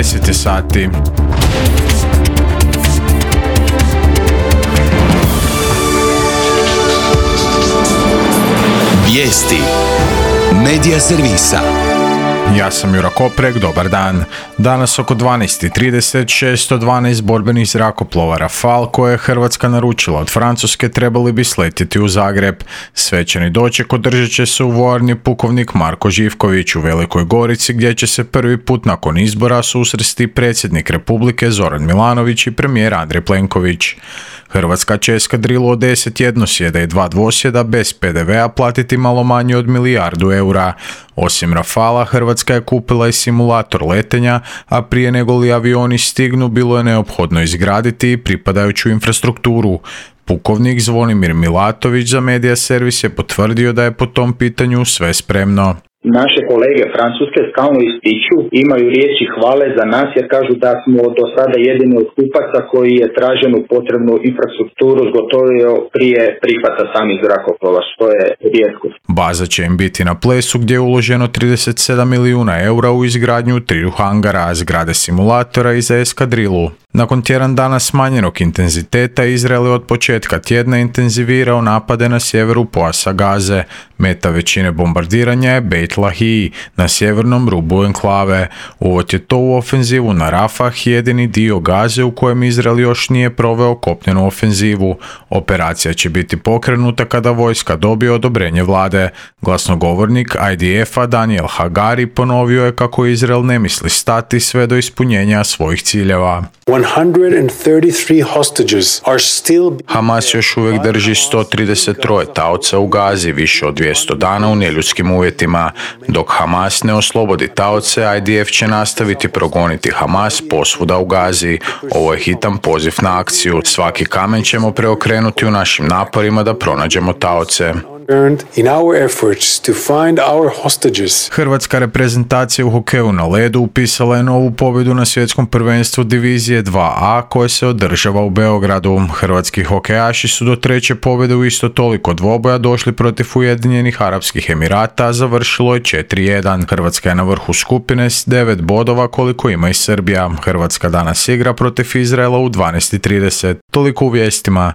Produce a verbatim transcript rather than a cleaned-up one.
deset je sati. Vijesti Medija servisa. Ja sam Jura Koprek, dobar dan. Danas oko dvanaest i trideset šesto dvanaest borbenih zrakoplova Rafale koje je Hrvatska naručila od Francuske trebali bi sletjeti u Zagreb. Svečani doček održat će se u vojarni pukovnik Marko Živković u Velikoj Gorici, gdje će se prvi put nakon izbora susresti predsjednik Republike Zoran Milanović i premijer Andrej Plenković. Hrvatska će eskadrilu od deset jednosjeda i dva dvosjeda bez pe de vea platiti malo manje od milijardu eura. Osim Rafala, Hrvatska je kupila i simulator letenja, a prije nego li avioni stignu bilo je neophodno izgraditi pripadajuću infrastrukturu. Pukovnik Zvonimir Milatović za Medija servis je potvrdio da je po tom pitanju sve spremno. Naše kolege Francuske stalno ističu, imaju riječi hvale za nas jer kažu da smo do sada jedini od kupaca koji je traženu potrebnu infrastrukturu zgotovio prije prihvata samih zrakoplova, što je rijetkost. Baza će im biti na Plesu gdje je uloženo trideset sedam milijuna eura u izgradnju triju hangara, zgrade simulatora i za eskadrilu. Nakon tjedan dana smanjenog intenziteta, Izrael je od početka tjedna intenzivirao napade na sjeveru pojasa Gaze. Meta većine bombardiranja je Beit Lahiji na sjevernom rubu enklave. Uvod je to u ofenzivu na Rafah, jedini dio Gaze u kojem Izrael još nije proveo kopnenu ofenzivu. Operacija će biti pokrenuta kada vojska dobije odobrenje vlade. Glasnogovornik I D F-a Daniel Hagari ponovio je kako Izrael ne misli stati sve do ispunjenja svojih ciljeva. Hamas još uvijek drži sto trideset tri taoca u Gazi više od dvjesto dana u neljudskim uvjetima. Dok Hamas ne oslobodi taoce, I D F će nastaviti progoniti Hamas posvuda u Gazi. Ovo je hitan poziv na akciju. Svaki kamen ćemo preokrenuti u našim naporima da pronađemo taoce. Hrvatska reprezentacija u hokeju na ledu upisala je novu pobjedu na svjetskom prvenstvu divizije dva A koje se održava u Beogradu. Hrvatski hokejaši su do treće pobjede u isto toliko dvoboja došli protiv Ujedinjenih Arapskih Emirata, a završilo je četiri jedan. Hrvatska je na vrhu skupine s devet bodova koliko ima i Srbija. Hrvatska danas igra protiv Izraela u dvanaest i trideset. Toliko u vijestima.